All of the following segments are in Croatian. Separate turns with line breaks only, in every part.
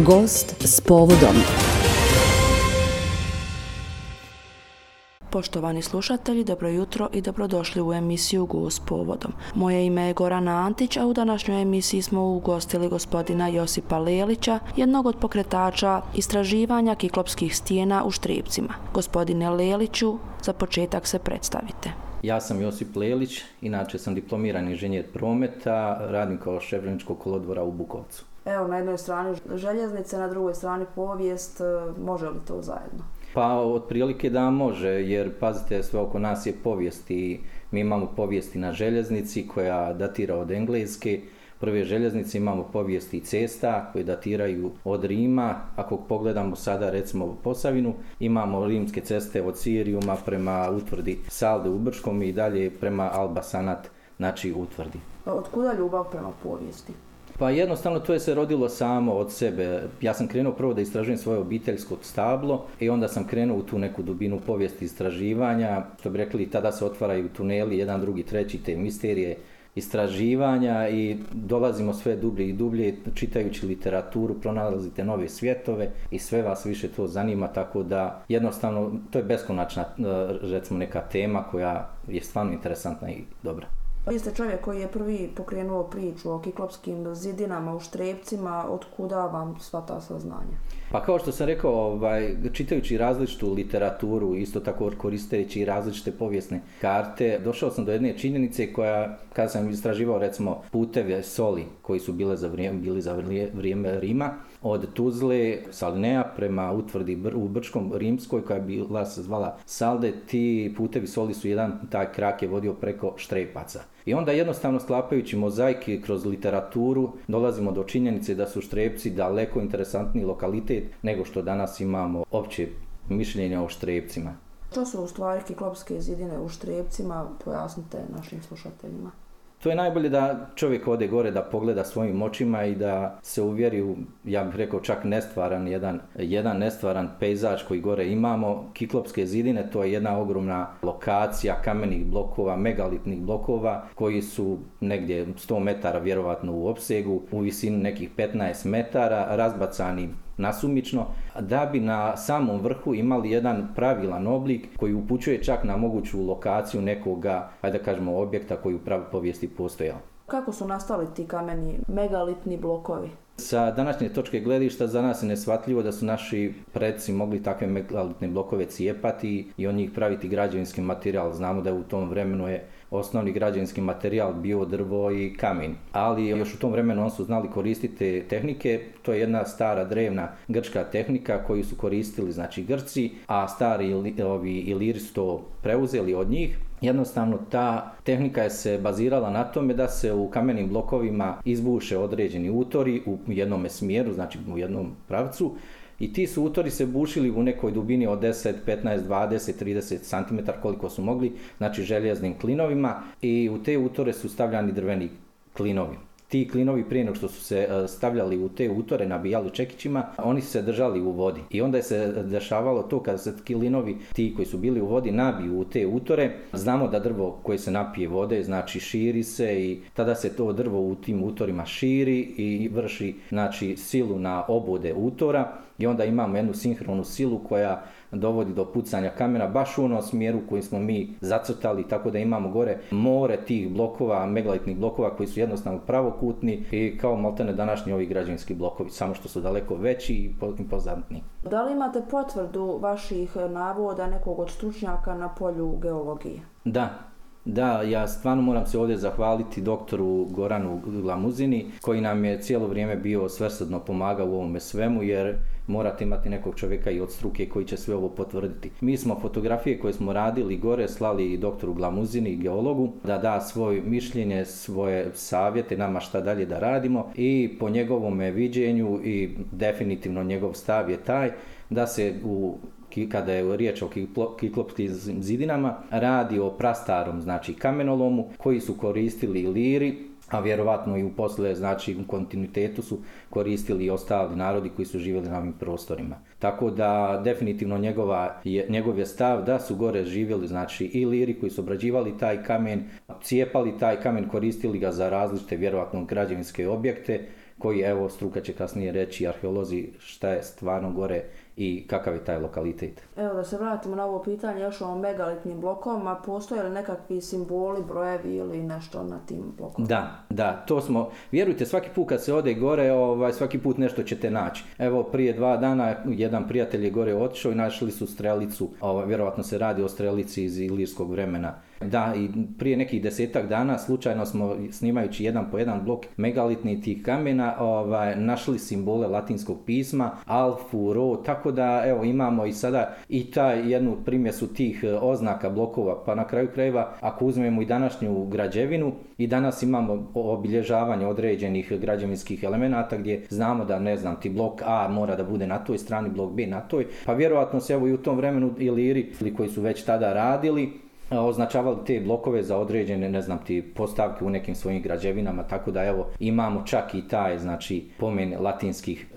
Gost s povodom. Poštovani slušatelji, dobro jutro i dobrodošli u emisiju Gost s povodom. Moje ime je Gorana Antić, a u današnjoj emisiji smo ugostili gospodina Josipa Lelića, jednog od pokretača istraživanja kiklopskih stijena u Štrijepcima. Gospodine Leliću, za početak se predstavite.
Ja sam Josip Lelić, inače sam diplomirani inženjer prometa, radim kao šef željezničkog kolodvora u Bukovcu.
Evo, na jednoj strani željeznice, na drugoj strani povijest, može li to zajedno?
Pa otprilike da može, jer pazite, sve oko nas je povijest i mi imamo povijesti na željeznici koja datira od Engleske. Prve željeznice, imamo povijesti cesta koje datiraju od Rima. Ako pogledamo sada recimo Posavinu, imamo rimske ceste od Sirijuma prema utvrdi Salde u Brčkom i dalje prema Alba Sanat, znači utvrdi.
Od kuda ljubav prema povijesti?
Pa jednostavno to je se rodilo samo od sebe. Ja sam krenuo prvo da istražujem svoje obiteljsko stablo i onda sam krenuo u tu neku dubinu povijesti istraživanja. Što bi rekli, tada se otvaraju tuneli, jedan, drugi, treći, te misterije istraživanja i dolazimo sve dublje i dublje, čitajući literaturu, pronalazite nove svjetove i sve vas više to zanima, tako da jednostavno to je beskonačna, recimo, neka tema koja je stvarno interesantna i dobra.
Vi ste čovjek koji je prvi pokrenuo priču o kiklopskim zidinama u Štrijepcima. Od kuda vam sva ta saznanja?
Pa kao što sam rekao, čitajući različitu literaturu, isto tako koristeći različite povijesne karte, došao sam do jedne činjenice koja, kada sam istraživao recimo puteve soli koji su bili za vrijeme Rima, od Tuzle, Salinea prema utvrdi u Brčkom rimskoj koja je bila se zvala Salde, ti putevi soli su taj krak je vodio preko Štrepaca. I onda jednostavno sklapajući mozaike kroz literaturu dolazimo do činjenice da su Štrijepci daleko interesantniji lokalitet nego što danas imamo opće mišljenje o Štrijepcima.
Što su u stvari kiklopske zidine u Štrijepcima? Pojasnite našim slušateljima.
To je najbolje da čovjek ode gore, da pogleda svojim očima i da se uvjeri u, ja bih rekao, čak nestvaran, jedan nestvaran pejzaž koji gore imamo. Kiklopske zidine, to je jedna ogromna lokacija kamenih blokova, megalitnih blokova koji su negdje 100 metara vjerovatno u opsegu, u visini nekih 15 metara, razbacani nasumično, da bi na samom vrhu imali jedan pravilan oblik koji upućuje čak na moguću lokaciju nekoga, ajde da kažemo, objekta koji u pravoj povijesti postojao. Kako su nastali ti kameni megalitni blokovi? Sa današnje točke gledišta za nas je neshvatljivo da su naši preci mogli takve megalitne blokove cijepati i od njih praviti građevinski materijal. Znamo da u tom vremenu je osnovni građevinski materijal bio drvo i kamen. Ali još u tom vremenu oni su znali koristiti te tehnike. To je jedna stara drevna grčka tehnika koju su koristili znači Grci, a stari Iliri su to preuzeli od njih. Jednostavno ta tehnika je se bazirala na tome da se u kamenim blokovima izbuše određeni utori u jednom smjeru, znači u jednom pravcu. I ti su utori se bušili u nekoj dubini od 10, 15, 20, 30 cm koliko su mogli, znači željeznim klinovima, i u te utore su stavljani drveni klinovi. Ti klinovi prije nego što su se stavljali u te utore, nabijali čekićima, oni su se držali u vodi. I onda je se dešavalo to kada se klinovi, ti koji su bili u vodi, nabiju u te utore. Znamo da drvo koje se napije vode, znači širi se i tada se to drvo u tim utorima širi i vrši znači silu na obode utora. I onda imamo jednu sinhronu silu koja dovodi do pucanja kamena baš u onom smjeru koji smo mi zacrtali, tako da imamo gore more tih blokova, megalitnih blokova koji su jednostavno pravokutni i kao maltene današnji ovi građevinski blokovi, samo što su daleko veći i impozantni. Da li imate potvrdu vaših navoda nekog od stručnjaka na polju geologije? Da, ja stvarno moram se ovdje zahvaliti doktoru Goranu Glamuzini koji nam je cijelo vrijeme bio svrsrdno pomagao u ovome svemu, jer morate imati nekog čovjeka i od struke koji će sve ovo potvrditi. Mi smo fotografije koje smo radili gore slali i doktoru Glamuzini i geologu da da svoje mišljenje, svoje savjete nama šta dalje da radimo, i po njegovome viđenju i definitivno njegov stav je taj da se kada je riječ o kiklopskim zidinama radi o prastarom znači kamenolomu koji su koristili Iliri, a vjerovatno i u posle, znači u kontinuitetu su koristili i ostali narodi koji su živjeli na ovim prostorima. Tako da definitivno njegov je stav da su gore živjeli znači i Iliri koji su obrađivali taj kamen, cijepali taj kamen, koristili ga za različite vjerovatno građevinske objekte koji evo struka će kasnije reći, arheolozi, šta je stvarno gore i kakav je taj lokalitet.
Evo da se vratimo na ovo pitanje još o megalitnim blokovima, postoje li nekakvi simboli, brojevi ili nešto na tim blokovima?
Da, to smo, vjerujte, svaki put kad se ode gore, svaki put nešto ćete naći. Evo prije 2 dana jedan prijatelj je gore otišao i našli su strelicu, vjerovatno se radi o strelici iz ilirskog vremena. Da, i prije nekih 10-ak dana slučajno smo snimajući jedan po jedan blok megalitnih tih kamena našli simbole latinskog pisma, alfu, ro, tako da evo imamo i sada i jednu primjesu tih oznaka blokova, pa na kraju krajeva ako uzmemo i današnju građevinu i danas imamo obilježavanje određenih građevinskih elemenata gdje znamo da ne znam ti blok A mora da bude na toj strani, blok B na toj, pa vjerojatno se evo i u tom vremenu Iliri koji su već tada radili označavali te blokove za određene, ne znam ti, postavke u nekim svojim građevinama, tako da evo imamo čak i taj, znači, pomen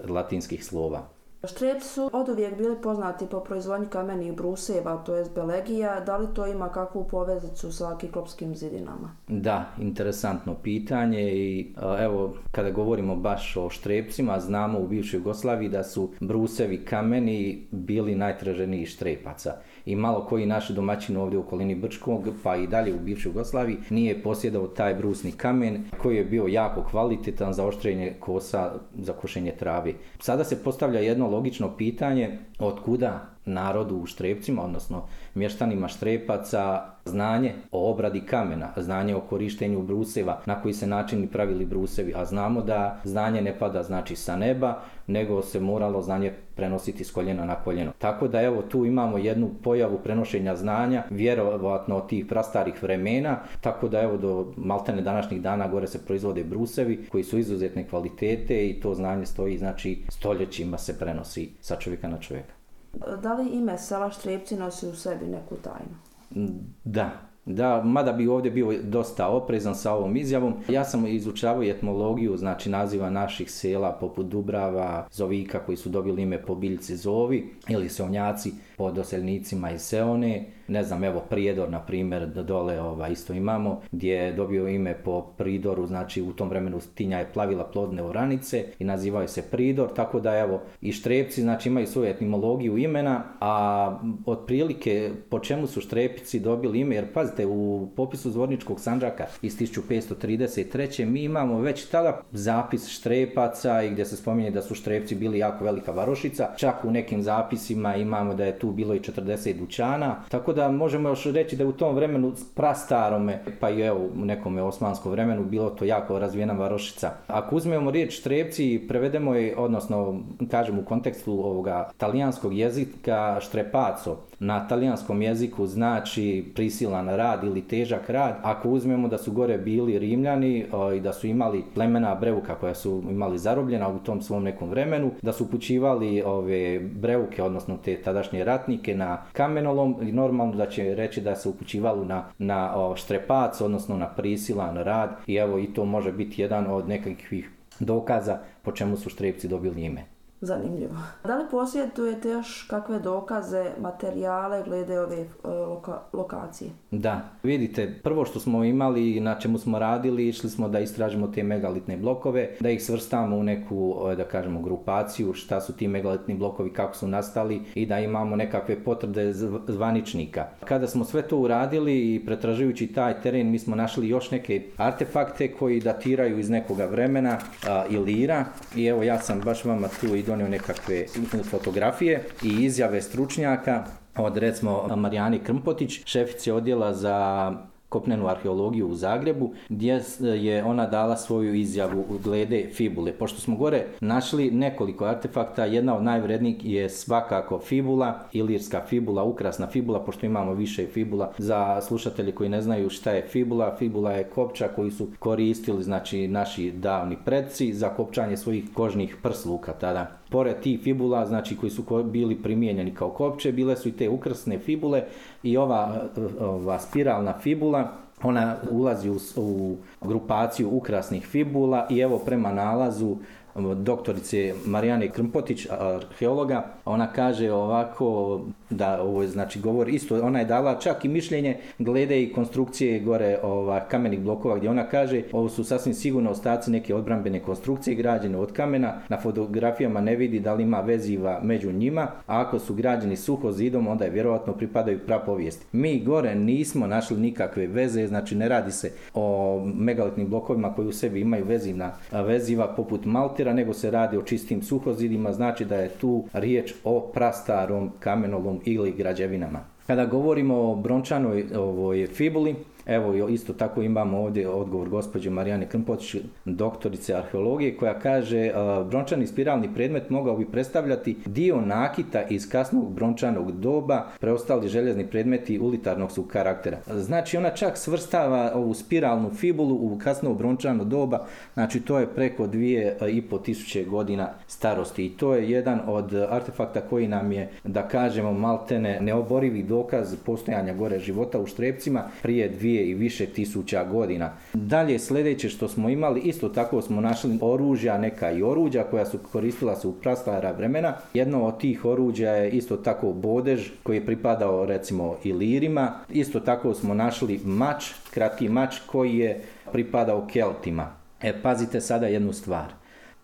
latinskih slova.
Štrijepci su oduvijek bili poznati po proizvodnji kamenih bruseva, to jest belegija. Da li to ima kakvu poveznicu sa kiklopskim zidinama?
Da, interesantno pitanje i evo kada govorimo baš o Štrijepcima, znamo u bivšoj Jugoslaviji da su brusevi kameni bili najtraženiji Štrepaca. I malo koji naši domaćini ovdje u okolini Brčkog, pa i dalje u bivšoj Jugoslaviji, nije posjedao taj brusni kamen koji je bio jako kvalitetan za oštrenje kosa, za košenje trave. Sada se postavlja jedno logično pitanje, od kuda narodu u Štrijepcima, odnosno mještanima Štrepaca, znanje o obradi kamena, znanje o korištenju bruseva, na koji se način pravili brusevi, a znamo da znanje ne pada znači sa neba, nego se moralo znanje prenositi s koljena na koljeno. Tako da evo tu imamo jednu pojavu prenošenja znanja, vjerovatno od tih prastarih vremena, tako da evo do maltene današnjih dana gore se proizvode brusevi koji su izuzetne kvalitete i to znanje stoji, znači stoljećima se prenosi sa čovjeka na čovjeka.
Da li ime sela Štrijepci nosi u sebi neku tajnu?
Da, mada bi ovdje bio dosta oprezan sa ovom izjavom. Ja sam izučavao etimologiju, znači naziva naših sela poput Dubrava, Zovika koji su dobili ime po biljci Zovi ili Seonjaci po doseljenicima iz Seone. Ne znam, evo Prijedor, na primjer, dole isto imamo, gdje je dobio ime po pridoru, znači u tom vremenu Tinja je plavila plodne oranice i nazivaju se Pridor, tako da evo i Štrijepci, znači imaju svoju etimologiju imena, a otprilike po čemu su Štrijepci dobili ime, jer pazite, u popisu Zvorničkog Sandžaka iz 1533. mi imamo već tada zapis Štrepaca i gdje se spominje da su Štrijepci bili jako velika varošica, čak u nekim zapisima imamo da je tu bilo i 40 dućana, tako da možemo još reći da u tom vremenu prastarome, pa i evo u nekom osmanskom vremenu bilo to jako razvijena varošica. Ako uzmemo riječ Štrijepci i prevedemo je, odnosno kažem u kontekstu ovoga talijanskog jezika Štrepaco, na talijanskom jeziku znači prisilan rad ili težak rad. Ako uzmemo da su gore bili Rimljani i da su imali plemena Breuka koja su imali zarobljena u tom svom nekom vremenu, da su upućivali ove Breuke, odnosno te tadašnje ratnike na kamenolom, i normalno da će reći da se upućivalo na Štrepac, odnosno na prisilan rad, i evo i to može biti jedan od nekakvih dokaza po čemu su Štrijepci dobili ime.
Zanimljivo. Da li posjedujete još kakve dokaze, materijale glede ove lokacije?
Da, vidite, prvo što smo imali i na čemu smo radili, išli smo da istražimo te megalitne blokove, da ih svrstamo u neku, da kažemo, grupaciju, šta su ti megalitni blokovi, kako su nastali i da imamo nekakve potvrde zvaničnika. Kada smo sve to uradili i pretražujući taj teren, mi smo našli još neke artefakte koji datiraju iz nekoga vremena Ilira, i evo ja sam baš vama tu i donio nekakve fotografije i izjave stručnjaka od recimo Marijane Krmpotić, šefice odjela za kopnenu arheologiju u Zagrebu, gdje je ona dala svoju izjavu glede fibule. Pošto smo gore našli nekoliko artefakta, jedna od najvrednijih je svakako fibula, ilirska fibula, ukrasna fibula, pošto imamo više fibula. Za slušatelji koji ne znaju šta je fibula, fibula je kopča koju su koristili, znači, naši davni predci za kopčanje svojih kožnih prsluka tada. Pored tih fibula, znači, koji su bili primijenjeni kao kopče, bile su i te ukrasne fibule i ova spiralna fibula, ona ulazi u grupaciju ukrasnih fibula i evo prema nalazu doktorice Marijane Krmpotić, arheologa. Ona kaže ovako, da ovo znači govori isto, ona je dala čak i mišljenje glede i konstrukcije gore kamenih blokova, gdje ona kaže ovo su sasvim sigurno ostaci neke odbrambene konstrukcije građene od kamena, na fotografijama ne vidi da li ima veziva među njima, a ako su građeni suho zidom, onda je vjerojatno pripadaju prapovijesti. Mi gore nismo našli nikakve veze, znači ne radi se o megalitnim blokovima koji u sebi imaju veziva poput maltera, nego se radi o čistim suhozidima, znači da je tu riječ o prastarom kamenolom ili građevinama. Kada govorimo o brončanoj fibuli, evo isto tako imamo ovdje odgovor gospođe Marijane Krmpotić, doktorice arheologije, koja kaže brončani spiralni predmet mogao bi predstavljati dio nakita iz kasnog brončanog doba, preostali željezni predmeti ulitarnog su karaktera. Znači ona čak svrstava ovu spiralnu fibulu u kasno brončano doba, znači to je preko 2500 godina starosti i to je jedan od artefakta koji nam je, da kažemo, maltene neoborivi dokaz postojanja gore života u Štrebcima prije 2 i više tisuća godina. Dalje sljedeće što smo imali, isto tako smo našli oružja, neka i oruđa koja su koristila se u prastara vremena. Jedno od tih oruđa je isto tako bodež koji je pripadao recimo Ilirima. Isto tako smo našli mač, kratki mač koji je pripadao Keltima. Pazite sada jednu stvar.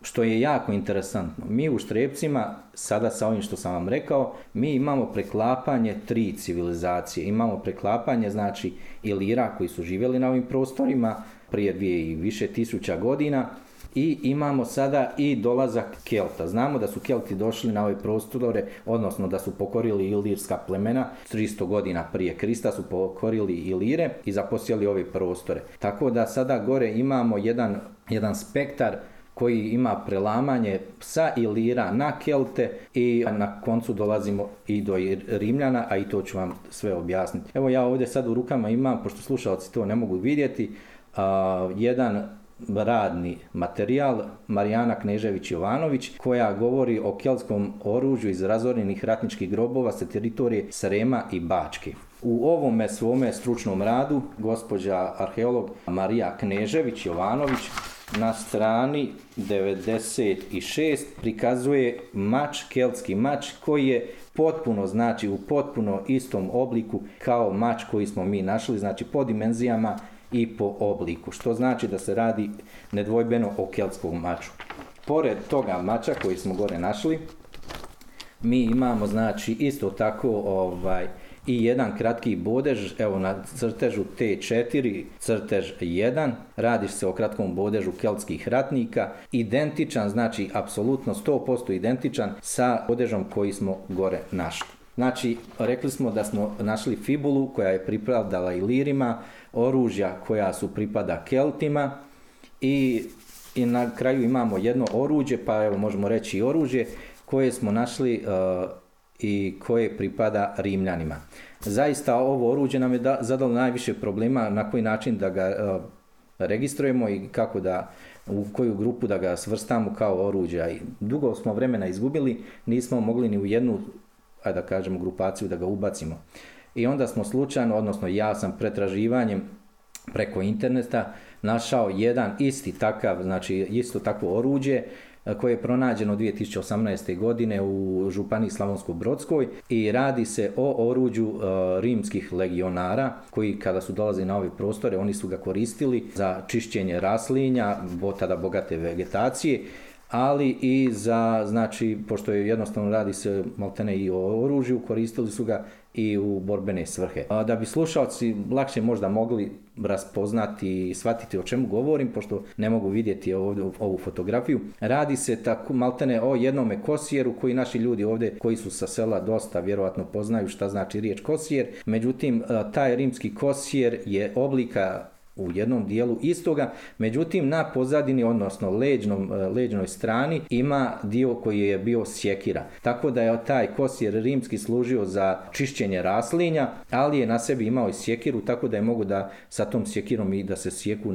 Što je jako interesantno, mi u Štrebcima, sada sa ovim što sam vam rekao, mi imamo preklapanje 3 civilizacije. Imamo preklapanje, znači, Ilira koji su živjeli na ovim prostorima prije 2 i više tisuća godina i imamo sada i dolazak Kelta. Znamo da su Kelti došli na ove prostore, odnosno da su pokorili ilirska plemena, 300 godina prije Krista su pokorili Ilire i zaposjeli ove prostore. Tako da sada gore imamo jedan spektar koji ima prelamanje sa Ilira na Kelte i na koncu dolazimo i do Rimljana, a i to ću vam sve objasniti. Evo ja ovdje sad u rukama imam, pošto slušalci to ne mogu vidjeti, jedan radni materijal Marijana Knežević-Jovanović koja govori o keltskom oružju iz razorenih ratničkih grobova sa teritorije Srema i Bačke. U ovome svome stručnom radu gospođa arheolog Marija Knežević-Jovanović na strani 96 prikazuje mač, keltski mač koji je potpuno, znači u potpuno istom obliku kao mač koji smo mi našli, znači po dimenzijama i po obliku, što znači da se radi nedvojbeno o keltskom maču. Pored toga mača koji smo gore našli, mi imamo znači isto tako i jedan kratki bodež, evo na crtežu T4, crtež 1, radi se o kratkom bodežu keltskih ratnika, identičan, znači apsolutno 100% identičan sa bodežom koji smo gore našli. Znači, rekli smo da smo našli fibulu koja je pripadala Ilirima, oružja koja su pripada Keltima i na kraju imamo jedno oruđe, pa evo možemo reći i oružje koje smo našli i koje pripada Rimljanima. Zaista ovo oruđe nam je zadalo najviše problema na koji način da ga registrujemo i kako u koju grupu da ga svrstamo kao oruđe. Dugo smo vremena izgubili, nismo mogli ni u jednu, da kažemo, grupaciju da ga ubacimo. I onda smo slučajno, odnosno ja sam pretraživanjem preko interneta našao jedan isti takav, znači isto takvo oruđe koje je pronađeno 2018. godine u županiji Slavonsko-Brodskoj i radi se o oruđu rimskih legionara koji kada su dolazili na ove prostore oni su ga koristili za čišćenje raslinja, tada bogate vegetacije, ali i za, znači, pošto je jednostavno radi se maltene i o oružju, koristili su ga i u borbene svrhe. Da bi slušalci lakše možda mogli raspoznati i shvatiti o čemu govorim, pošto ne mogu vidjeti ovu fotografiju, radi se tako maltene o jednome kosijeru koji naši ljudi ovdje koji su sa sela dosta vjerojatno poznaju šta znači riječ kosijer, međutim taj rimski kosijer je oblika u jednom dijelu istoga, međutim na pozadini, odnosno leđnoj strani ima dio koji je bio sjekira. Tako da je taj kosijer rimski služio za čišćenje raslinja, ali je na sebi imao i sjekiru, tako da je mogu da sa tom sjekirom i da se sjeku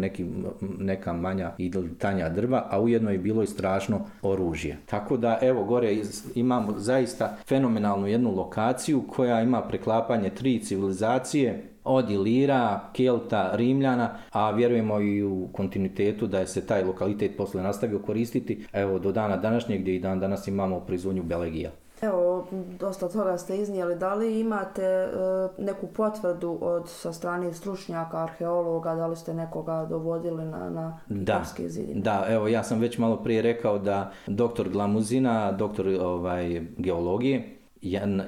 neka manja i tanja drva, a ujedno je bilo i strašno oružje. Tako da evo gore imamo zaista fenomenalnu jednu lokaciju koja ima preklapanje 3 civilizacije. od Ilira, Kelta, Rimljana, a vjerujemo i u kontinuitetu da je se taj lokalitet posle nastavio koristiti, evo do dana današnjeg gdje i dan danas imamo proizvodnju belegija.
Evo, dosta toga ste iznijeli. Da li imate neku potvrdu sa strane stručnjaka, arheologa, da li ste nekoga dovodili na Kiklovske zidine?
Da, evo ja sam već malo prije rekao da doktor Glamuzina, doktor geologije,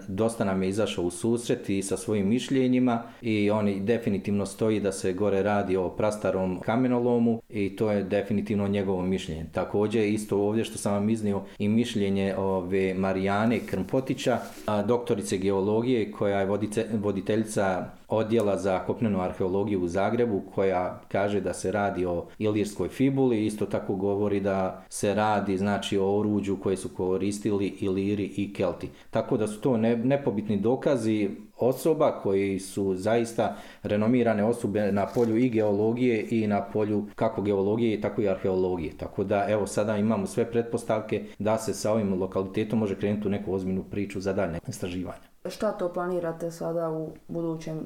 dosta nam je izašao u susret i sa svojim mišljenjima i on definitivno stoji da se gore radi o prastarom kamenolomu i to je definitivno njegovo mišljenje. Također isto ovdje što sam vam iznio i mišljenje ove Marijane Krmpotića, doktorice geologije koja je voditeljica odjela za kopnenu arheologiju u Zagrebu, koja kaže da se radi o ilirskoj fibuli, isto tako govori da se radi znači o oruđu koje su koristili Iliri i Kelti. Tako da su to nepobitni dokazi osoba koji su zaista renomirane osobe na polju i geologije i na polju kako geologije tako i arheologije. Tako da evo sada imamo sve pretpostavke da se sa ovim lokalitetom može krenuti u neku ozbiljnu priču za daljnje istraživanje.
Šta to planirate sada u budućem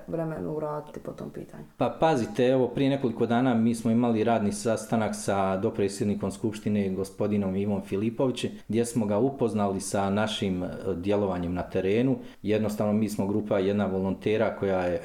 vremenu uraditi po tom pitanju?
Pa pazite, evo prije nekoliko dana mi smo imali radni sastanak sa dopredsjednikom Skupštine gospodinom Ivom Filipovićem gdje smo ga upoznali sa našim djelovanjem na terenu. Jednostavno mi smo grupa jedna volontera koja je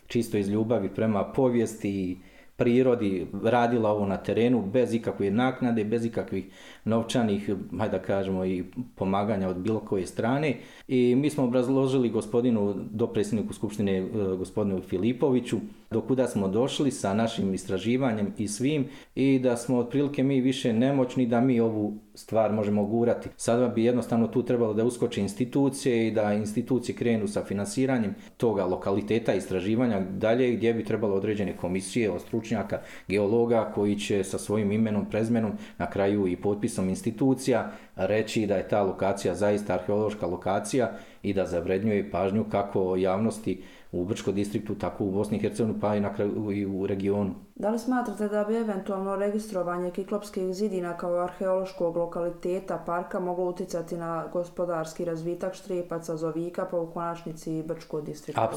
čisto iz ljubavi prema povijesti i prirodi radila ovo na terenu bez ikakve naknade, bez ikakvih novčanih, hajde da kažemo, i pomaganja od bilo koje strane. I mi smo obrazložili gospodinu dopredsjedniku Skupštine, gospodinu Filipoviću, do kuda smo došli sa našim istraživanjem i svim i da smo otprilike mi više nemoćni da mi ovu stvar možemo gurati. Sada bi jednostavno tu trebalo da uskoče institucije i da institucije krenu sa finansiranjem toga lokaliteta istraživanja dalje gdje bi trebalo određene komisije od stručnjaka, geologa koji će sa svojim imenom, prezimenom, na kraju i potpisom institucija reći da je ta lokacija zaista arheološka lokacija i da zavrednjuje pažnju kako javnosti u Brčkom distriktu, tako u Bosni i Hercegovini, pa i na kraju i u regionu.
Da li smatrate da bi eventualno registrovanje Kiklopskih zidina kao arheološkog lokaliteta parka moglo utjecati na gospodarski razvitak Štrepaca, Zovika, pa u konačnici i Brčkog distrikta?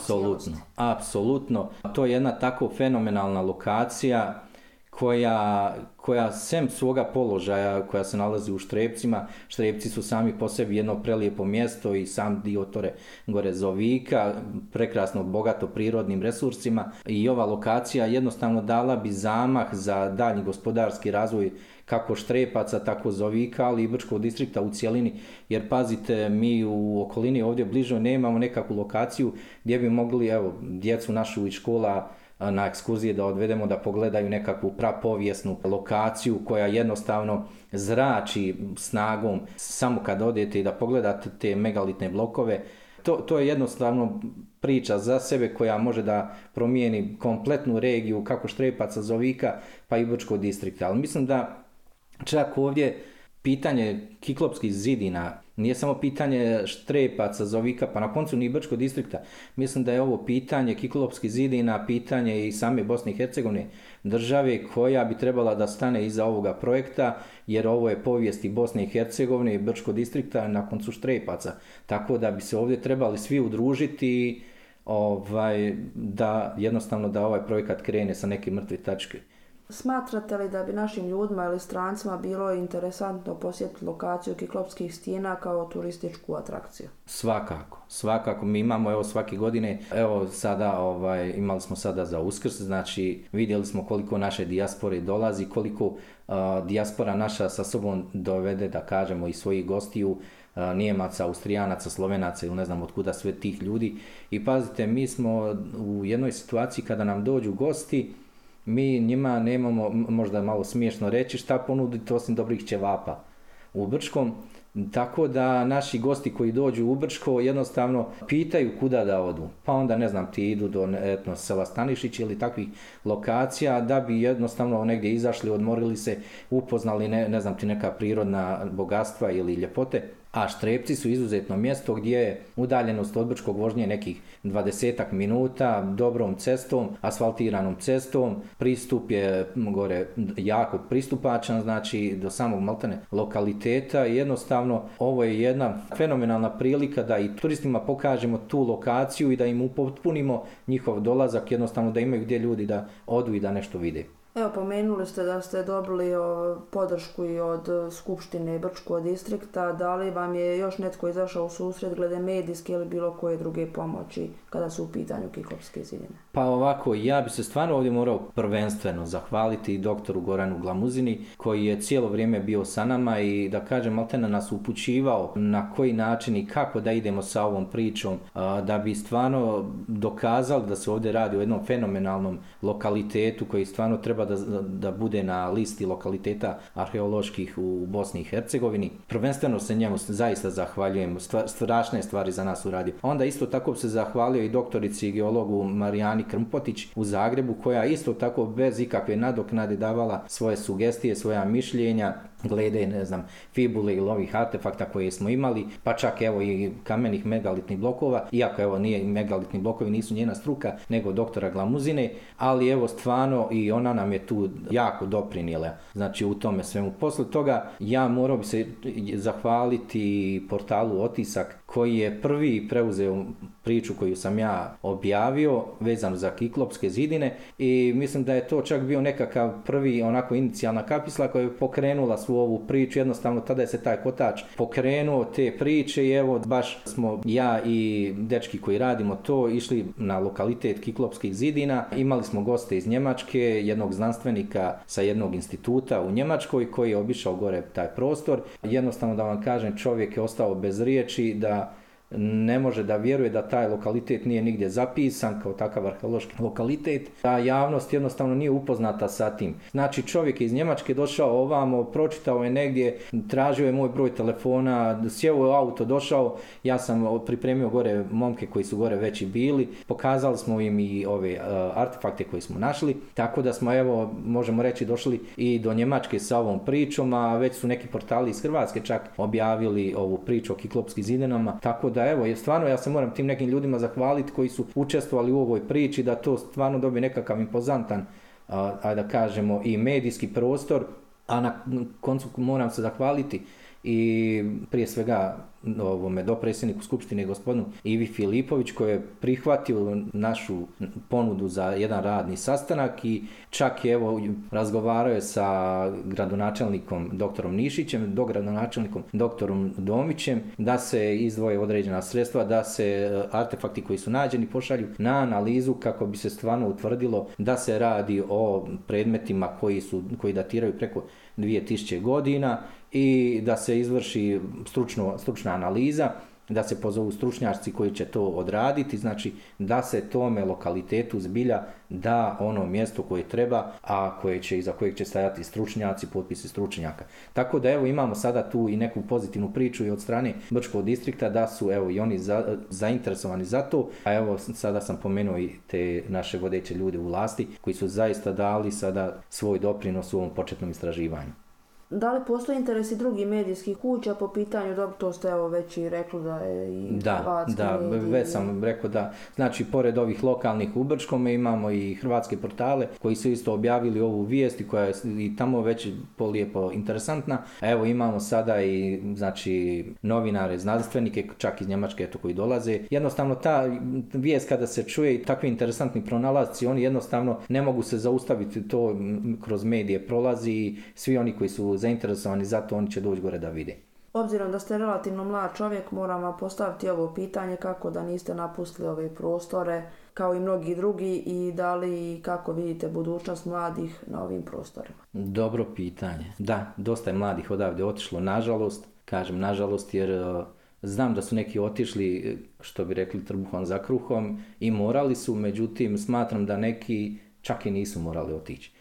Apsolutno. To je jedna tako fenomenalna lokacija koja sem svoga položaja koja se nalazi u Štrepcima, Štrepci su sami po sebi jedno prelijepo mjesto i sam dio tore gore Zovika, prekrasno bogato prirodnim resursima i ova lokacija jednostavno dala bi zamah za daljnji gospodarski razvoj kako Štrepaca, tako Zovika, ali i Brčkog distrikta u cjelini, jer pazite, mi u okolini ovdje bliže nemamo nekakvu lokaciju gdje bi mogli, djecu našu iz škola na ekskurzije da odvedemo da pogledaju nekakvu prapovijesnu lokaciju koja jednostavno zrači snagom samo kad odete i da pogledate te megalitne blokove. To je jednostavno priča za sebe koja može da promijeni kompletnu regiju kako Štrepaca, Zovika pa i Brčkog distrikta. Ali mislim da čak ovdje pitanje Kiklopskih zidina nije samo pitanje Štrepaca, Zovika, pa na koncu ni Brčkog distrikta. Mislim da je ovo pitanje Kiklopskih zidina, pitanje i same Bosne i Hercegovine, države koja bi trebala da stane iza ovoga projekta, jer ovo je povijest i Bosne i Hercegovine i Brčkog distrikta na koncu Štrepaca. Tako da bi se ovdje trebali svi udružiti da jednostavno da ovaj projekat krene sa neke mrtve tačke.
Smatrate li da bi našim ljudima ili strancima bilo interesantno posjetiti lokaciju Kiklopskih stijena kao turističku atrakciju? Svakako. Mi imamo svake godine, sada imali smo sada za Uskrs, znači vidjeli smo koliko naše dijaspore dolazi, koliko dijaspora naša sa sobom dovede, da kažemo, i svojih gostiju, Nijemaca, Austrijanaca, Slovenaca ili ne znam od kuda sve tih ljudi. I pazite, mi smo u jednoj situaciji kada nam dođu gosti, mi njima nemamo, možda malo smiješno reći, šta ponuditi osim dobrih ćevapa u Brčkom. Tako da naši gosti koji dođu u Brčko jednostavno pitaju kuda da odu. Pa onda ti idu do sela Stanišić ili takvih lokacija da bi jednostavno negdje izašli, odmorili se, upoznali neka prirodna bogatstva ili ljepote. A Štrepci su izuzetno mjesto gdje je udaljenost od Brčkog vožnje nekih 20 minuta, dobrom cestom, asfaltiranom cestom, pristup je gore jako pristupačan, znači do samog maltene lokaliteta i jednostavno
jednostavno ovo je jedna fenomenalna prilika da i turistima pokažemo tu lokaciju i da im upotpunimo njihov dolazak, jednostavno da imaju gdje ljudi da odu i da nešto vide.
Evo, pomenuli ste da ste dobili podršku i od Skupštine Brčkog distrikta. Da li vam je još netko izašao u susret glede medijske ili bilo koje druge pomoći kada su u pitanju Kiklopske zidine?
Pa ovako, ja bi se stvarno ovdje morao prvenstveno zahvaliti doktoru Goranu Glamuzini koji je cijelo vrijeme bio sa nama i da kažem maltene nas upućivao na koji način i kako da idemo sa ovom pričom da bi stvarno dokazali da se ovdje radi o jednom fenomenalnom lokalitetu koji stvarno treba da bude na listi lokaliteta arheoloških u Bosni i Hercegovini. Prvenstveno se njemu zaista zahvaljujem, strašne stvari za nas uradio. Onda isto tako se zahvalio i doktorici i geologu Marijani Krmpotić u Zagrebu koja isto tako bez ikakve nadoknade davala svoje sugestije, svoja mišljenja glede, ne znam, fibule ili ovih artefakta koje smo imali, pa čak evo i kamenih megalitnih blokova, iako evo nije megalitni blokovi, nisu njena struka, nego doktora Glamuzine, ali evo stvarno i ona nam je tu jako doprinijela, znači u tome svemu. Posle toga ja morao bi se zahvaliti portalu Otisak koji je prvi preuzeo priču koju sam ja objavio vezano za Kiklopske zidine i mislim da je to čak bio nekakav prvi onako inicijalna kapisla koja je pokrenula svu ovu priču, jednostavno tada je se taj kotač pokrenuo te priče i evo baš smo ja i dečki koji radimo to išli na lokalitet Kiklopskih zidina, imali smo goste iz Njemačke, jednog znanstvenika sa jednog instituta u Njemačkoj koji je obišao gore taj prostor, jednostavno da vam kažem čovjek je ostao bez riječi da ne može da vjeruje da taj lokalitet nije nigdje zapisan kao takav arheološki lokalitet, a javnost jednostavno nije upoznata sa tim. Znači čovjek je iz Njemačke došao ovamo, pročitao je negdje, tražio je moj broj telefona, sjeo u auto, došao, ja sam pripremio gore momke koji su gore već i bili, pokazali smo im i ove artefakte koje smo našli, tako da smo evo, možemo reći, došli i do Njemačke sa ovom pričom, a već su neki portali iz Hrvatske čak objavili ovu priču o Kiklopskim zidinama, tako da evo, stvarno ja se moram tim nekim ljudima zahvaliti koji su učestvovali u ovoj priči da to stvarno dobije nekakav impozantan, da kažemo, i medijski prostor, a na koncu moram se zahvaliti i prije svega ovome dopredsjedniku Skupštine gospodinu Ivi Filipović koji je prihvatio našu ponudu za jedan radni sastanak i čak je evo razgovarao je sa gradonačelnikom doktorom Nišićem, dogradonačelnikom doktorom Domićem da se izdvoje određena sredstva, da se artefakti koji su nađeni pošalju na analizu kako bi se stvarno utvrdilo da se radi o predmetima koji datiraju preko 2000 godina i da se izvrši stručna analiza, da se pozovu stručnjaci koji će to odraditi, znači da se tome lokalitetu zbilja da ono mjesto koje treba, a iza kojeg će stajati stručnjaci, potpisi stručnjaka. Tako da evo imamo sada tu i neku pozitivnu priču i od strane Brčkog distrikta da su evo i oni zainteresovani za to, a evo sada sam pomenuo i te naše vodeće ljude u vlasti koji su zaista dali sada svoj doprinos u ovom početnom istraživanju.
Da li postoji interes i drugih medijskih kuća po pitanju, to ste evo već i rekli da je i hrvatski mediji?
Već sam rekao da, znači pored ovih lokalnih u Brčkome imamo i hrvatske portale koji su isto objavili ovu vijest i koja je i tamo već polijepo interesantna. Evo imamo sada i znači novinare, znanstvenike, čak iz Njemačke koji dolaze. Jednostavno ta vijest kada se čuje i takvi interesantni pronalasci, oni jednostavno ne mogu se zaustaviti, to kroz medije prolazi i svi oni koji su zainteresovani za to, oni će doći gore da vide.
Obzirom da ste relativno mlad čovjek, moram vam postaviti ovo pitanje kako da niste napustili ove prostore kao i mnogi drugi i da li i kako vidite budućnost mladih na ovim prostorima?
Dobro pitanje. Da, dosta je mladih odavde otišlo, nažalost. Kažem nažalost jer znam da su neki otišli, što bi rekli, trbuhom za kruhom i morali su, međutim smatram da neki čak i nisu morali otići.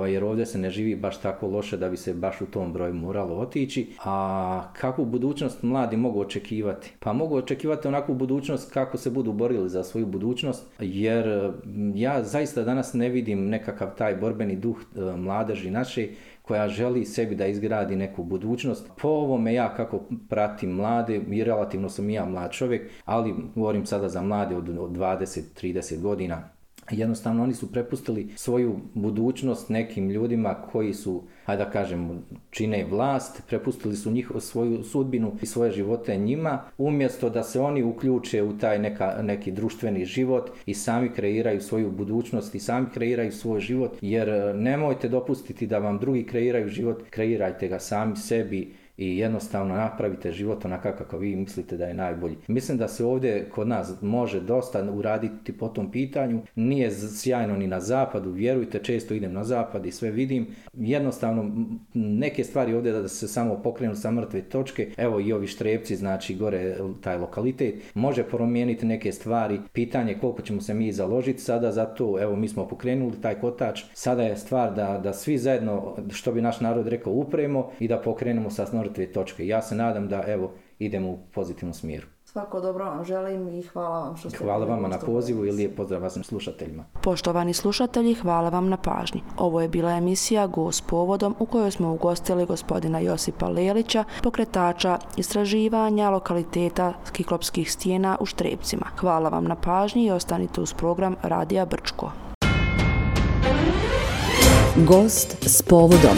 Jer ovdje se ne živi baš tako loše da bi se baš u tom broju moralo otići. A kakvu budućnost mladi mogu očekivati? Pa mogu očekivati onakvu budućnost kako se budu borili za svoju budućnost, jer ja zaista danas ne vidim nekakav taj borbeni duh mladeži naše koja želi sebi da izgradi neku budućnost. Po ovome ja kako pratim mlade, i relativno sam i ja mlad čovjek, ali govorim sada za mlade od 20-30 godina, Jednostavno oni su prepustili svoju budućnost nekim ljudima koji su, hajde da kažem, čine vlast, prepustili su svoju sudbinu i svoje živote njima, umjesto da se oni uključe u taj neki društveni život i sami kreiraju svoju budućnost i sami kreiraju svoj život, jer nemojte dopustiti da vam drugi kreiraju život, kreirajte ga sami sebi i jednostavno napravite život onakav kako vi mislite da je najbolji. Mislim da se ovdje kod nas može dosta uraditi po tom pitanju. Nije sjajno ni na zapadu, vjerujte, često idem na zapad i sve vidim. Jednostavno neke stvari ovdje da se samo pokrenu sa mrtve točke. Evo i ovi Štrebci, znači gore taj lokalitet, može promijeniti neke stvari. Pitanje koliko ćemo se mi založiti sada za to. Evo mi smo pokrenuli taj kotač. Sada je stvar da svi zajedno, što bi naš narod rekao, upremo i da pokrenemo sa mrtve točke. Ja se nadam da idemo u pozitivnom smjeru.
Svako dobro vam želim i hvala vam što ste...
Hvala vama na pozivu i lijep pozdrav vašim slušateljima.
Poštovani slušatelji, hvala vam na pažnji. Ovo je bila emisija Gost povodom u kojoj smo ugostili gospodina Josipa Lelića, pokretača istraživanja lokaliteta Kiklopskih stijena u Štrebcima. Hvala vam na pažnji i ostanite uz program Radija Brčko.
Gost s povodom.